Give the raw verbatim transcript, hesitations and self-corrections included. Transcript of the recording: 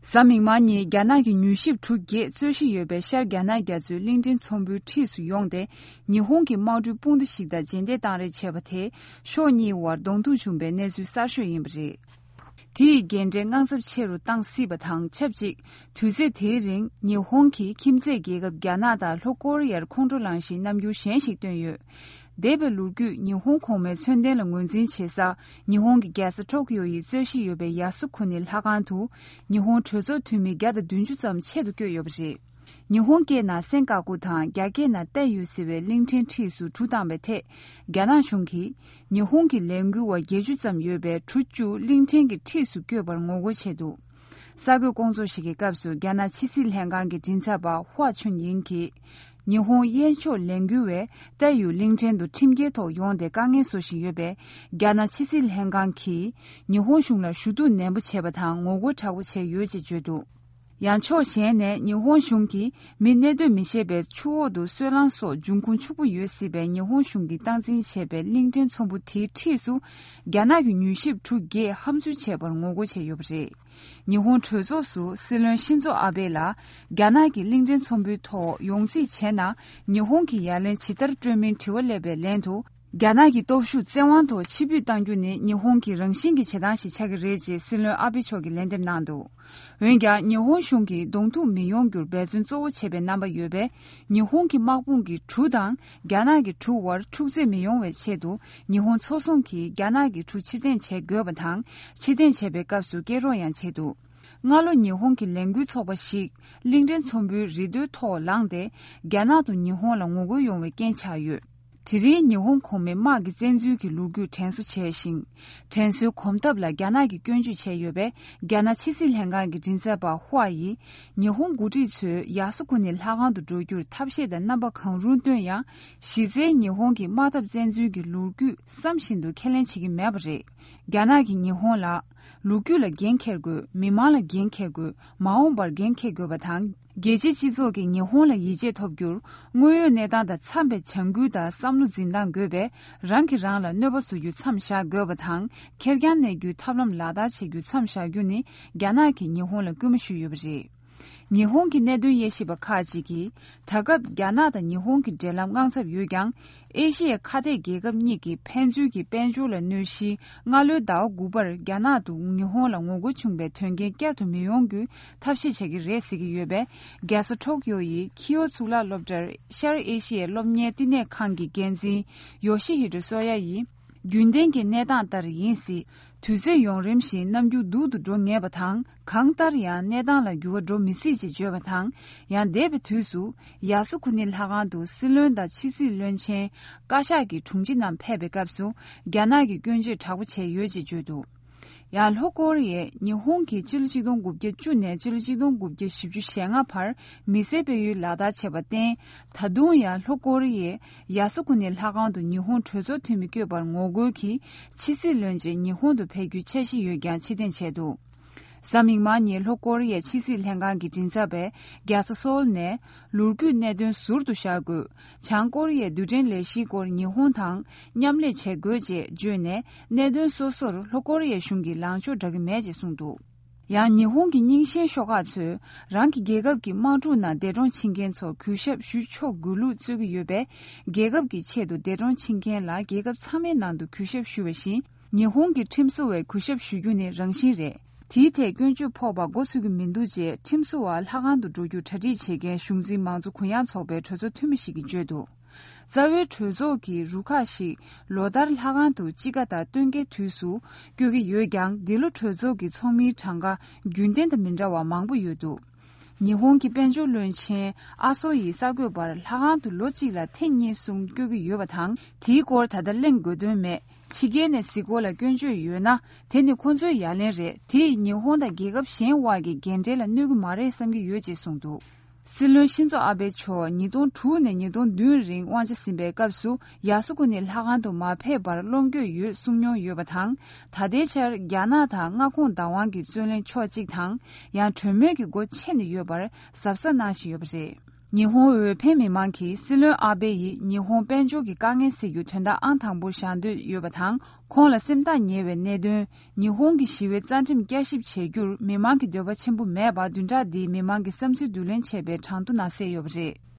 གཟའ་མིག་དམར་ཉིན་རྒྱ་ནག་གི་མྱུལ་ཞིབ་གྲུ་བརྒྱད་རྩོད་གཞི་ཡོད་པའི་ཤར་རྒྱ་ནག་རྒྱ་མཚོའི་གླིང་ཕྲན་ཚོང་དཔོན་འཁྲིས་སུ་ཡོང་སྟེ། ཉི་ཧོང་གི་དམག་གྲུའི་དཔུང་སྡེ་ཞིག་དང་རྗེས་འདེད་བཏང་རེས་བྱས་པ་དེས། ཕྱོགས་གཉིས་བར་གདོང་ཐུག་བྱུང་པའི་གནས་ཚུལ་གསར་ཤོས་ཡིན་པ་རེད། དེ་ཡིས་རྒན་གྲས་དངངས་འཚབ་ཆེ་རུ་བཏང་སྲིད་པ་དང་ཆབས་ཅིག་དུས་ཚོད་དེའི་རིང་ཉི་ཧོང་གིས་ཁྱིམ་མཚེས་རྒྱལ་ཁབ་རྒྱ་ནག་དང་ལྷོ་ཀོ་རི་ཡར་ཁོང་ཁྲོ་ལངས་ཤིང་རྣམ་འགྱུར་གཞན་ཞིག་བཏོན་ཡོད། འདས་པའི་ལོ་རྒྱུས་ཉི་ཧོང་གོང་མའི་མཚོན་ལྡན་ལ་ངོས་འཛིན་བྱེད་ས། ཉི་ཧོང་གི་རྒྱལ་ས་ཊོ་ཀི་ཡོ་ཡི་རྩོད་གཞི་ཡོད་པའི་ཡ་སུ་ཁུ་ནི་ལྷ་ཁང་དུ། ཉི་ཧོང་གྲོས་ཚོགས་འཐུས་མི་བརྒྱ་དང་བདུན་ཅུ་ཙམ་ཆེད་དུ་བསྐྱོད་ཡོད་པ་རེད། ཉི་ཧོང་སྐད་ནང་སེན་ཀ་ཀུ་དང་རྒྱ་སྐད་ནང་ཏའེ་ཡུ་ཟེར་བའི་གླིང་ཕྲན་འཁྲིས་སུ་གྲུ་བཏང་བའི་ཐད། རྒྱ་ནག་གཞུང་གིས་ཉི་ཧོང་གི་ལས་འགུལ་བ་བརྒྱད་ཅུ་ཙམ་ཡོད་པའི་གྲུ་བཅུ་གླིང་ཕྲན་གྱི་འཁྲིས་སུ་བསྐྱོད་པར་ངོ་རྒོལ་བྱས་འདུག་གསར་འགོད་སྐོང་ཚོགས་ཤིག་གི་སྐབས་སུ་རྒྱ་ནག་ཕྱི་སྲིད་ལྷན་ཁང་གི་མགྲིན་ཚབ་པ་ཧྭ་ཆུན་ཡིང་གིས། ཉི་ཧོང་གཡས་ཕྱོགས་ལས་འགུལ་བས་ཏའེ་ཡུ་གླིང་ཕྲན་དུ་ཁྲིམས་འགལ་ཐོག་ཡོང་སྟེ་དཀའ་ངལ་བཟོ་བཞིན་ཡོད་པས། རྒྱ་ནག་ཕྱི་སྲིད་ལྷན་ཁང་གིས་ཉི་ཧོང་གཞུང་ལ་ཞུ་གཏུག་ནན་པོ་བྱས་པ་དང་ངོ་རྒོལ་དྲག་པོ་བྱས་ཡོད་ཅེས་བརྗོད་འདུག་ཡང་ཕྱོགས་གཞན་ནས་ཉི་ཧོང་གཞུང་གིས་མི་གནས་སྡོད་མི་ཤེས་པའི་ཆུ་འོག་ཏུ་སོལ་རླངས་སོགས་འབྱུང་ཁུངས་ཕྱུག་པོ་ཡོད་སྲིད་པའི་ཉི་ཧོང་གཞུང་གིས་སྟངས་འཛིན་བྱས་པའི་གླིང་ཕྲན་ཚོང་དཔོན་དེའི་འཁྲིས་སུ་རྒྱ་ནག་གི་མྱུལ་ཞིབ་གྲུ་བརྒྱད་ཧམ་འཛུལ་བྱས་པར་ངོ་རྒོལ་བྱས་ཡོད་པ་རེད། ཉི་ཧོང་གྲོས་ཚོགས་སུ་སྲིད་བློན་ཤིན་ཛོ་ཨ་བྷེ་ལ་རྒྱ་ནག་གི་གླིང་ཕྲན་ཚོང་དཔོན་ཐོག་ཡོང་རྩིས་བྱས་ན། ཉི་ཧོང་གིས་ཡ་ལན་ཇི་ལྟར་སྤྲོད་མིན་དྲི་བ་སླེབས་པའི་ལན་དུ། རྒྱ་ནག་གི་སྟོབས་ཤུགས་བཙན་དབང་ཐོག་ཕྱིར་འབུད་གཏང་རྒྱུ་ནི་ཉི་ཧོང་གི་རང་བཞིན་གྱི་བྱེད་སྟངས་ཤིག་ཆགས་ཀྱི་རེད་ཅེས་སྲིད་བློན་ཨ་བྷེ་མཆོག་གིས་ལན་འདེབས་གནང་འདུག་འོན་ཀྱང་ཉི་ཧོང་གཞུང་གིས་གདོང་ཐུག་མི་ཡོང་རྒྱུར་འབད་བརྩོན་གཙོ་བོ་བྱས་པའི་རྣམ་པ་ཡོད་པས། ཉི་ཧོང་གི་དམག་དཔུང་གི་གྲུ་དང་རྒྱ་ནག་གི་གྲུ་བར་འཁྲུག་རྩོད་མི་ཡོང་བའི་ཆེད་དུ། ཉི་ཧོང་མཚོ་སྲུང་གིས་རྒྱ་ནག་གི་གྲུ་ཕྱིར་འཐེན་བྱེད་དགོས་པ་དང་། ཕྱིར་འཐེན་བྱེད་པའི་སྐབས་སུ་སྐད་སྒྲོག་ཡང་བྱས་འདུག་སྔ་ལོ་ཉི་ཧོང་གི་ལས་འགུལ་ཚོགས་པ་ཞིག་གླིང་ཕྲན་ཚོང་དཔོན་རི་རྡོའི་ཐོག་ལངས་ཏེ། རྒྱ་ནག་ཏུ་ཉི་ཧོང་ལ་ངོ་རྒོལ་ཡོང་བའི་རྐྱེན་ཆགས་ཡོད། དེ་རིང་ཉི་ཧོང་གོང་མའི་དམག་གི་བཙན་འཛུལ་གྱི་ལོ་རྒྱུས་དྲན་གསོ་བྱས་ཤིང་། དྲན་གསོའི་གོམ་སྟབས་ལ་རྒྱ་ནག་གིས་སྐྱོན་བརྗོད་བྱས་ཡོད་པས། རྒྱ་ནག་ཕྱི་སྲིད་ལྷན་ཁང་གི་མགྲིན་ཚབ་པ་ཧྭ་ཡིས། ཉི་ཧོང་འགོ་ཁྲིད་ཚོས་ཡ་སུ་ཁུ་ནི་ལྷ་ཁང་དུ་འགྲོ་རྒྱུར་ཐབས་ཤེས་དང་རྣམ་པ་གང་རུང་བཏོན་ཡང་། གཞི་རྩའི་ཉི་ཧོང་གི་དམག་འཐབ་བཙན་འཛུལ་གྱི་ལོ་རྒྱུས་བསམ་བཞིན་དུ་ཁས་ལེན་བྱེད་ཀྱི་མེད་པ་རེད། རྒྱ་ནག་གིས་ཉི་ཧོང་ལ། ལོ་རྒྱུས་ལ་འགན་འཁྱེར་དགོས། མི་མང་ལ་འགན་འཁྱེར་དགོས། མ་འོངས་པར་འགན་འཁྱེར་དགོས་པ་དང་། རྒྱལ་སྤྱིའི་སྤྱི་ཚོགས་ཀྱིས་ཉི་ཧོང་ལ་ཡིད་ཆེས་ཐོབ་རྒྱུར། དངོས་ཡོད་གནས་སྟངས་དང་འཚམས་པའི་བྱ་འགུལ་དང་བསམ་བློ་འཛིན་སྟངས་དགོས་པས། རང་གིས་རང་ལ་གནོད་པ་བཟོ་རྒྱུ་མཚམས་བཞག་དགོས་པ་དང་། ཁེར་རྐྱང་གནས་རྒྱུའི་ཐབས་ལམ་ལག་བསྟར་བྱེད་རྒྱུ་མཚམས་བཞག་རྒྱུ་ནི། རྒྱ་ནག་གིས་ཉི་ཧོང་ལ་སྐུལ་མ་ཞུས་ཡོད་པ་རེད། ཉི་ཧོང་གི་གནད་དོན་དབྱེ་ཞིབ་པ་ཁག་ཅིག་གིས། ད་སྐབས་རྒྱ་ནག་དང་ཉི་ཧོང་གི་འབྲེལ་ལམ་དངངས་འཚབ་ཡོད་ཀྱང་། ཨེ་ཤི་ཡའི་ཁ་གཏད་རྒྱལ་ཁབ་གཉིས་ཀྱི་ཕན་ཚུན་གྱི་དཔལ་འབྱོར་ལ་གནོད་གཞིའི་སྔ་ལོའི་ཟླ་བ་དགུ་པར་རྒྱ་ནག་ཏུ་ཉི་ཧོང་ལ་ངོ་རྒོལ་བྱུང་བའི་དོན་རྐྱེན་བསྐྱར་དུ་མི་ཡོང་རྒྱུའི་ཐབས་ཤེས་བྱེད་ཀྱི་རེད་ཟེར་གྱི་ཡོད་པས། རྒྱལ་ས་ཊོག་ཡོ་ཡི་ཁི་ཡོ་གཙུག་ལག་སློབ་གྲྭར་ཤར་ཨེ་ཤི་ཡའི་སློབ་གཉེར་བསྟི་གནས་ཁང་གི་འགན་འཛིན་ཡོ་ཤི་ཧི་ཏོ་སོ་ཡ་ཡིས། རྒྱུན་ལྡན་གྱི་གནས་སྟངས་ལྟར་ཡིན་སྲིད། དུས་ཚོད་ཡུན་རིང་ཞིང་རྣམ་འགྱུར་སྡུག་ཏུ་འགྲོ་ངེས་པ་དང་། གང་ལྟར་ཡང་གནས་སྟངས་ལ་འགྱུར་བ་འགྲོ་མི་སྲིད་ཅེས་བརྗོད་པ་དང་། ཡང་འདས་པའི་དུས་སུ། ཡ་སུ་ཁུ་ནི་ལྷ་ཁང་དུ་སྲིད་བློན་དང་ཕྱི་སྲིད་བློན་ཆེན། བཀའ་ཤག་གི་དྲུང་ཆེ་རྣམས་ཕེབས་པའི་སྐབས་སུ། རྒྱ་ནག་གིས་སྐྱོན་བརྗོད་དྲག་པོ་བྱས་ཡོད་ཅེས་བརྗོད་འདུག་ཡང་ལྷོ་ཀོ་རི་ཡས་ཉི་ཧོང་གིས་ཕྱི་ལོ་ཆིག་སྟོང་དགུ་བརྒྱ་བཅུ་ནས་ཕྱི་ལོ་ཆིག་སྟོང་དགུ་བརྒྱ་བཞི་བཅུ་ཞེ་ལྔ་བར་མི་སེར་སྤེལ་ཡུལ་ལག་བསྟར་བྱས་པར་བརྟེན། ད་དུང་ཡང་ལྷོ་ཀོ་རི་ཡས་ཡ་སུ་ཁུ་ནི་ལྷ་ཁང་དུ་ཉི་ཧོང་གྲོས་ཚོགས་འཐུས་མི་བསྐྱོད་པར་ངོ་རྒོལ་གྱིས་ཕྱི་སྲིད་བློན་ཆེན་ཉི་ཧོང་དུ་ཕེབས་རྒྱུའི་འཆར་གཞི་ཡོད་ཀྱང་ཕྱིར་འཐེན་བྱས་འདུག་གཟའ་མིག་དམར་ཉིན་ལྷོ་ཀོ་རི་ཡའི་ཕྱི་སྲིད་ལྷན་ཁང་གི་མགྲིན་ཚབ་པས་རྒྱལ་ས་སོལ་ནས། ལོ་རྒྱུས་གནད་དོན་ཟུར་དུ་བཞག་དགོས། བྱང་ཀོ་རི་ཡའི་རྡུལ་ཕྲན་ལས་གཞིའི་སྐོར་ཉི་ཧོང་དང་མཉམ་ལས་བྱེད་དགོས་ཅེས་བརྗོད་ནས། གནད་དོན་སོ་སོར་ལྷོ་ཀོ་རི་ཡའི་གཞུང་གིས་ལངས་ཕྱོགས་འདྲ་གི་མེད་ཅེས་གསུངས་འདུག་ཡང་ཉི་ཧོང་གི་རྙིང་ཞེན་ཤོག་ཁག་ཚོས་རང་གི་རྒྱལ་ཁབ་ཀྱི་དམག་འཁྲུག་ནང་འདས་གྲོངས་ཕྱིན་མཁན་ཚོར་གུས་ཞབས་ཞུ་ཆོག་དགོས་ལུགས་རྩོད་ཀྱི་ཡོད་པས། རྒྱལ་ཁབ་ཀྱི་ཆེད་དུ་འདས་གྲོངས་ཕྱིན་མཁན་ལ་རྒྱལ་ཁབ་ཚང་མའི་ནང་དུ་གུས་ཞབས་ཞུ་བ་བཞིན། ཉི་ཧོང་གི་ཁྲིམས་བཟོ་བས་གུས་ཞབས་ཞུ་རྒྱུ་ནི་རང་བཞིན་རེད། དེའི་ཐད་སྐྱོན་བརྗོད་ཕོག་པ་མགོ་ཚོས་ཀྱི་མི་འདུག་ཅེས་ཁྲིམས་བཟོ་བ་ལྷ་ཁང་དུ་འགྲོ་རྒྱུ་གྲ་སྒྲིག་བྱེད་མཁན་གཞུང་འཛིན་མང་གཙོ་གུ་ཡངས་ཚོགས་པའི་གྲོས་ཚོགས་འཐུས་མི་ཞིག་གིས་བརྗོད་འདུག་རྩ་བའི་གྲོས་ཚོགས་ཀྱི་རུ་ཁག་ཞིག་ལོ་ལྟར་ལྷ་ཁང་དུ་དཔྱིད་ཀ་དང་སྟོན་ཁའི་དུས་སུ་སྐྱོད་ཀྱི་ཡོད་ཀྱང་། འདི་ལོ་གྲོས་ཚོགས་ཀྱི་ཚོགས་མིའི་གྲངས་ཀ་རྒྱུན་ལྡན་དང་མི་འདྲ་བ་མང་པོ་ཡོད་འདུག་ཉི་ཧོང་གི་དཔལ་འབྱོར་བློན་ཆེན་ཨ་སོ་ཡིས་གསར་འགོད་པར། ལྷ་ཁང་དུ་ལོ་གཅིག་ལ་ཐེངས་གཉིས་གསུམ་སྐྱོད་ཀྱི་ཡོད་པ་དང་། དེའི་སྐོར་ད་ལྟ་གླེང་དགོས་དོན་མེད། ཕྱི་རྒྱལ་ནས་གཟིགས་སྐོར་ལ་སྐྱོན་བརྗོད་ཡོད་ན། དེ་ནི་ཁོ་ཚོའི་ཡ་ལན་རེད། དེ་ཡིས་ཉི་ཧོང་དང་རྒྱལ་ཁབ་གཞན་དབར་གྱི་འགན་འཁྲི་ལ་གནོད་ཀྱི་མ་རེད་བསམ་གྱི་ཡོད་ཅེས་གསུངས་འདུག་སྲིད་བློན་ཤིན་ཛོ་ཨ་བྷེ་མཆོག་ཉིས་སྟོང་དྲུག་ནས་ཉིས་སྟོང་བདུན་རིང་དབང་ཆ་ཟིན་པའི་སྐབས་སུ། ཡ་སུ་ཁུ་ནི་ལྷ་ཁང་དུ་མ་ཕེབས་པར་བློ་འགྱོད་ཡོད་གསུང་མྱོང་ཡོད་པ་དང་། ད་ལྟའི་ཆར་རྒྱ་ནག་དང་མངའ་ཁོངས་བདག་དབང་གི་རྩོད་གླེང་ཕྱོགས་གཅིག་དང་། ཡང་གྲོས་མོལ་གྱི་སྒོ་ཕྱེ་ནས་ཡོད་པར་གཟབ་གཟབ་གནང་བཞིན་ཡོད་པ་རེད། ཉི་ཧོང་འོས་འཕེན་མི་མང་གིས་སྲིད་བློན་ཨ་བྷེ་ཡིས་ཉི་ཧོང་དཔལ་འབྱོར་གྱི་དཀའ་ངལ་སེལ་རྒྱུ་དོན་དག་ཨང་དང་པོར་བཞག་འདོད་ཡོད་པ་དང་། ཁོང་ལ་སེམས་ཐག་ཉེ་བའི་གནད་དོན། ཉི་ཧོང་གི་ཞི་བའི་རྩ་ཁྲིམས་བསྐྱར་ཞིབ་བྱེད་རྒྱུར་མི་མང་གི་འདོད་པ་ཆེན་པོ་མེད་པ་བདུན་ཕྲག་འདིའི་མི་མང་གི་བསམ་ཚུལ་བསྡུ་ལེན་བྱས་པའི་གྲངས་ཐོ་ནང་གསལ་ཡོད་པ་རེད།